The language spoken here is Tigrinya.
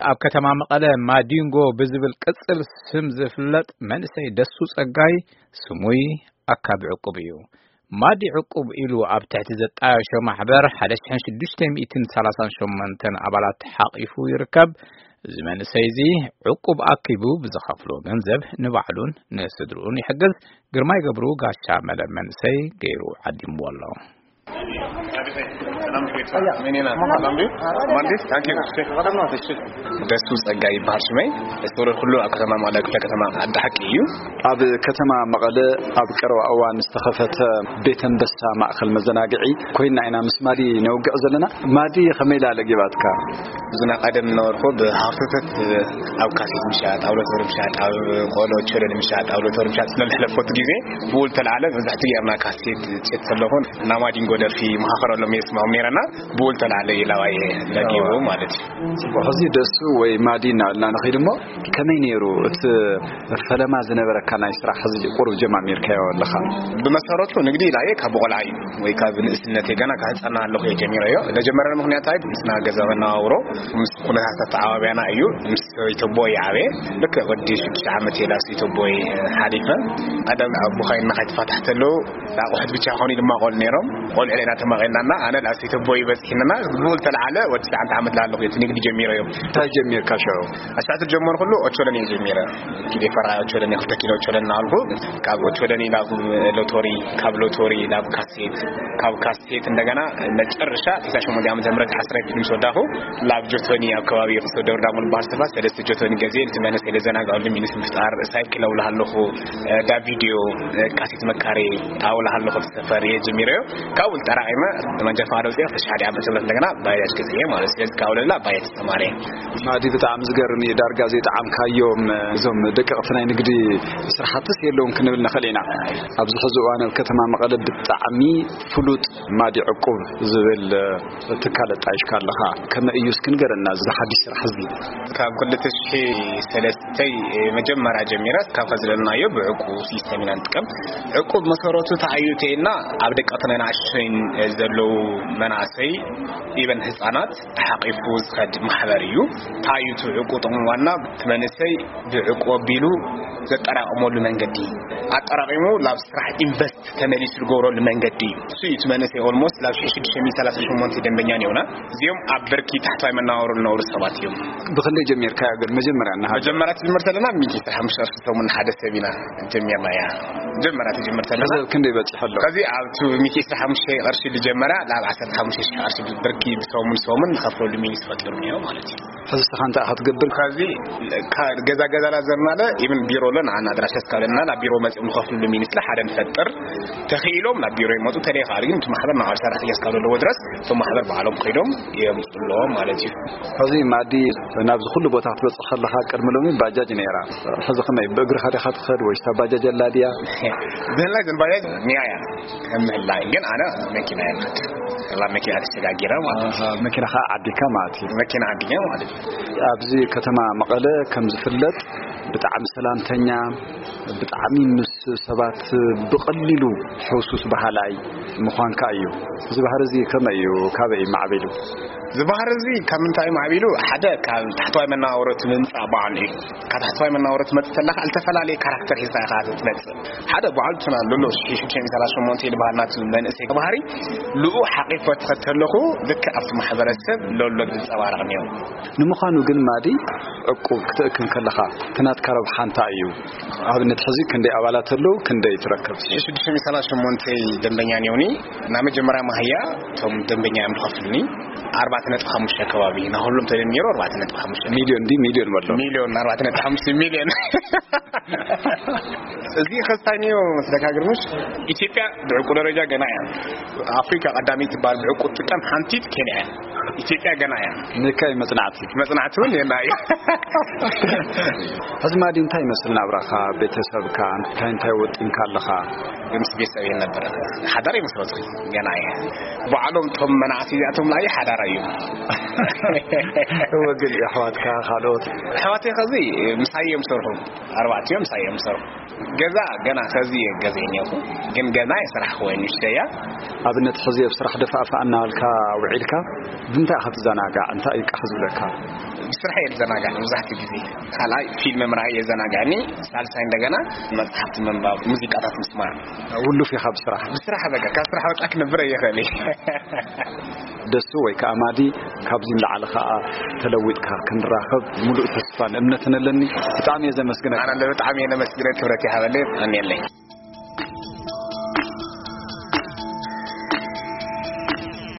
ኣብ ከተማ መቐለ ማዲንጎ ብዝብል ቅጽል ስም ዝፍለጥ መንእሰይ ደሱ ጸጋይ ስሙይ ኣካቢ ዕቁብ እዩ። ማዲ ዕቁብ ኢሉ ኣብ ትሕቲ ዘጣየሾ ማሕበር ሓደ ሽሕን ሽዱሽተ ሚእትን ሰላሳን ሸሞንተን ኣባላት ሓቒፉ ይርከብ። እዚ መንእሰይ እዚ ዕቁብ ኣኪቡ ብዝኸፍሎ ገንዘብ ንባዕሉን ንስድርኡን ይሕግዝ። ግርማይ ገብሩ ጋሻ መለ መንእሰይ ገይሩ ዓዲምዎ ኣሎ። ደሱ ጸጋይ ይበሃል ሽመይ። ዝተወለድኩሉ ኣብ ከተማ መቐለ ክፍለ ከተማ ዓዲ ሓቂ እዩ። ኣብ ከተማ መቐለ ኣብ ቀረባ እዋን ዝተኸፈተ ቤት ኣንበሳ ማእከል መዘናግዒ ኮይና ኢና ምስ ማዲ ነውግዕ ዘለና። ማዲ ከመይ ኢላ ለጊባትካ? እዚ ናይ ቀደም ነበርኩ ብሃፍተተት ኣብ ካሴት ምሻጥ፣ ኣብ ሎተሪ ምሻጥ፣ ኣብ ቆሎ ቸለኒ ምሻጥ፣ ኣብ ሎተሪ ምሻጥ ስለዝሕለፈቱ ግዜ ብኡ ዝተልዓለ መብዛሕትኡ ጌርና ካሴት ጭት ዘለኹን እና ማዲንጎ ደርፊ መኻኸረሎም እየ ስማም ነይረና። ብኡ ዝተልዓለ ኢላዋየ ለጊቡ ማለት እዩ። ጽቡቕ። ሕዚ ደሱ ወይ ማዲ እናበልና ንኸይድ እሞ፣ ከመይ ነይሩ እቲ ፈለማ ዝነበረካ ናይ ስራሕ ሕዚ ቁሩብ ጀማሚርካዮ ኣለኻ? ብመሰረቱ ንግዲ ኢላየ ካብ ቆልዓ እዩ ወይ ካብ ንእስነተይ ገና ካብ ህጻና ኣለኹ እየ ጀሚረዮ። ለጀመረኒ ምኽንያት ኣይ ምስና ገዛ መነባብሮ ምስ ኩነታት ኣተዓባብያና እዩ። ምስ ሰበይተቦይ ዓበየ። ልክዕ ወዲ ሽዱሽተ ዓመት እየ ላብ ሰበይተቦይ ሓሊፈ። ቀደም ኣቦኻይ እናኸይ ተፋታሕ ተለዉ ኣቑሑት ብቻ ኾኑ ድማ ቆል ነይሮም። ቆልዑ ኢና ተማቒልናና። ኣነ ላብ ሰበይተቦይ በፂሕንና ብኡ ዝተልዓለ ወዲ ትሽዓተ ዓመት ላለኹ እቲ ንግዲ ጀሚረዮ። እንታይ ጀሚርካ ሽዑ? ኣስታት ጀመርኩሉ ኦቾለኒ ጀሚረ። ኪሎ ፈራ ኦቾለኒ፣ ክልተ ኪሎ ኦቾለኒ እናበልኩ ካብ ኦቾለኒ ናብ ሎቶሪ፣ ካብ ሎቶሪ ናብ ካሴት፣ ካብ ካሴት እንደገና መጨረሻ ተስዓን ሸሞንተን ዓመተ ምህረት ዓስራይ ክፍሊ ምስ ወዳኹ ላብ ጆቶኒ ኣብ ከባቢ ክልተ ደብረ ዳሞ ዝበሃል ስፍራ ሰለስተ ጆቶኒ ገዜ እቲ መንእሰይ ለዘናግዐሉ ሚኒስ ምፍጣር ሳይክል ኣውልሃለኹ፣ እ፣ ዳ ቪድዮ፣ እ፣ ካሴት መካሪ ኣውልሃለኹ ሰፈር እየ ጀሚረዮ። ካብኡ ተጠራቒመ መንጃ ፈቃድ ኣውፅኤ ክልተ ሽሕ ሓደ ዓመተ ምህረት እንደገና ባጃጅ ገዚኤ ማለት እዩ። ስለዚ ካብኡ ለላ ባጃጅ ተማሪ። ማዲ ብጣዕሚ ዝገርም እዩ። ዳርጋ ዘይጠዓምካዮም እዞም ደቀቕቲ ናይ ንግዲ ስራሕትስ የለውን ክንብል ንኽእል ኢና። ኣብዚ ሕዚ እዋን ኣብ ከተማ መቐለ ብጣዕሚ ፍሉጥ ማዲ ዕቁብ ዝብል ትካል ኣጣይሽካ ኣለኻ። ከመይ እዩ እስኪ ንገረና እዚ ሓድሽ ስራሕ እዚ? ካብ ክልተ ሽሕ ሰለስተ መጀመርያ ጀሚረ ካብ ከዝለናዮ ብዕቁብ ሲስተም ኢና ንጥቀም። ዕቁብ መሰረቱ ተኣዩ ተይና ኣብ ደቀቕቲ ናይ ንኣሽቶይን ዘለዉ መናእሰይ ኢቨን ህፃናት ተሓቂፉ ዝኸድ ማሕበር እዩ። እንታይ እዩ እቲ ዕቁብ ጥቕሙ? ዋና እቲ መንእሰይ ብዕቁብ ኣቢሉ ዘጠራቕመሉ መንገዲ፣ ኣጠራቒሙ ናብ ስራሕ ኢንቨስት ተመሊሱ ዝገብረሉ መንገዲ እዩ። እሱ እዩ እቲ መንእሰይ ኦልሞስት ናብ ሽዱሽተ ሚእቲ ሰላሳ ሸሞንተ ደንበኛ ነውና። እዚኦም ኣብ ብርኪ ታሕተዋይ መነባብሮ ዝነብሩ ሰባት እዮም። ብኽንደይ ጀሚርካዮ ግን መጀመርያ እናሃለወ? መጀመርያ ትጅምር ተለና ሚእቲ ሓሙሽተ ቅርሺ ሰሙን ሓደ ሰብ ኢና ጀሚርናያ። መጀመርያ ትጅምር ተለና። ሕዚ ኣብ ክንደይ በጺሑ ኣሎ? ከዚ ኣብቲ ሚእቲ ሓሙሽተ ቅርሺ ዝጀመረ ናብ ዓሰርተ ሓሙሽተ ሽሕ ቅርሺ ብርኪ ብሰሙን ሰሙን ንኸፍለሉ ሚኒስ ፈጢሩ እኒኦ ማለት እዩ። ሕዚ እስኻ እንታይ ኢኻ ትገብር? ካብዚ ካ-፣ ገዛ ገዛ ላዘርናለ ኢብን ቢሮ ኣሎ ንዓና ኣድራሻ እስካለና ናብ ቢሮ መጺኦም ንኸፍልሉ ሚኒስ ሓደ ንፈጥር። ተኽኢሎም ናብ ቢሮ ይመጡ፣ ተለይኻል ግን እቲ ማሕበር ናብ ሰራሕተኛ እስካብ ዘለዎ ድረስ እቶም ማሕበር ባዕሎም ከይዶም የምፅሎም ማለት እዩ። ሕዚ ማዲ ናብዚ ኩሉ ቦታ ክትበጽሕ ከለኻ ቅድሚ ሎሚ ባጃጅ ነይራ። ሕዚ ከመይ ብእግርኻ ዲኻ ትኸድ ወይስ እታ ባጃጅ ኣላ ድያ? ብህላይ ዘን ባጃጅ ኒያ እያ ከም ምህላይ ግን ኣነ መኪና እየ ዝኸድ። ላ መኪና ተሸጋጊረ ማለት እዩ። ኣሃ፣ መኪና ኸዓ ዓዲካ ማለት እዩ። መኪና ዓዲካ ማለት እዩ። ኣብዚ ከተማ መቐለ ከም ዝፍለጥ ብጣዕሚ ሰላምተኛ፣ ብጣዕሚ ምስ ሰባት ብቐሊሉ ሕውሱስ በሃላይ ምዃንካ እዩ። እዚ ባህሪ እዚ ከመይ እዩ? ካበይ እዩ ማዕቢሉ? እዚ ባህሪ እዚ ካብ ምንታይ እዩ ማዕቢሉ? ሓደ ካብ ታሕተዋይ መነባብሮ እቲ ምምፃእ በዓሉ እዩ። ካብ ታሕተዋይ መነባብሮ ትመፅእ ተለካ ዝተፈላለየ ካራክተር ሒዝካ ኢኻ ትመፅእ። ሓደ በዓሉ እቲ ዘሎ ሽዱሽተ ሚእቲ ሰላሳ ሸሞንተ ዝበሃል ናቱ መንእሰይ ባህሪ ልኡ ሓቂፎ ትኸድ ተለኹ ልክዕ ኣብቲ ማሕበረሰብ ለሎ ዝንፀባረቕ እኒኦ። ንምዃኑ ግን ማዲ ዕቁብ ክትእክብ ከለኻ እቲ ናትካ ረብሓ እንታይ እዩ? ኣብነት ሕዚ ክንደይ ኣባላት ኣለዉ? ክንደይ ትረክብ? ሽዱሽተ ሚእቲ ሰላሳ ሸሞንተ ደንበኛ እኒኦኒ። ናብ መጀመርያ ማህያ እቶም ደንበኛ እዮም ዝኸፍሉኒ። ኣርባዕተ ነጥቢ ሓሙሽተ ከባቢ። ናኹሎም ተደሚሩ ኣርባዕተ ነጥቢ ሓሙሽተ። ሚልዮን ድዩ? ሚልዮን በሎ። ሚልዮን፣ ኣርባዕተ ነጥቢ ሓሙሽተ ሚልዮን። እዚ ከስታይ ንዮ መስለካ ግርምሽ? ኢትዮጵያ ብዕቁብ ደረጃ ገና እያ። ኣፍሪካ ቀዳመይቲ ትበሃል ብዕቁብ ትጥቀም ሓንቲት ኬንያ እያ። ኢትዮጵያ ገና እያ። ንካይ መጽናዕቲ። መጽናዕቲ እውን የና እዩ። ሕዚ ማዲ እንታይ ይመስል ናብራኻ? ቤተሰብካ እንታይ እንታይ ወጢንካ ኣለኻ? ምስ ቤተሰብ እየ ነበር። ሓዳር ይመስረቱ ገና እየ። ባዕሎም እቶም መናእሰይ እዚኣቶም ላይ ሓዳር እዩ። እወ፣ ግን ኣሕዋትካ ካልኦት? ኣሕዋተይ ከዚ ምሳይ እዮም ሰርሑ። ኣርባዕቲኦም ምሳይ እዮም ሰርሑ። ገዛ ገና ከዚ ገዛ እየ ነይሩ። ግን ገና የስራሕ ወይ ንሽተያ። ኣብነት ሕዚ ኣብ ስራሕ ደፋእፋእ እናበልካ ውዒልካ ብምንታይ ኢኻ ትዘናጋዕ? እንታይ እዩ ቃሕ ዝብለካ? ብስራሕ እየ ዝዘናጋዕ መብዛሕትኡ ግዜ። ካልኣይ ፊልም ምርኣይ የዘናግዐኒ። ሳልሳይ እንደገና መጽሓፍቲ ምንባብ፣ ሙዚቃታት ምስማዕ። ውሉፍ ኢኻ ብስራሕ? ብስራሕ በቃ ካብ ስራሕ ወጻ ክነብር እየ ኽእል። ደሱ ወይ ከዓ ማዲ ካብዚ ንላዕሊ ከዓ ተለዊጥካ ክንራኸብ ሙሉእ ተስፋን እምነትን ኣለኒ። ብጣዕሚ እየ ዘመስግነካ። ኣነ ብጣዕሚ እየ ነመስግነ፣ ክብረት ይሃበለይ። ኣሜለይ።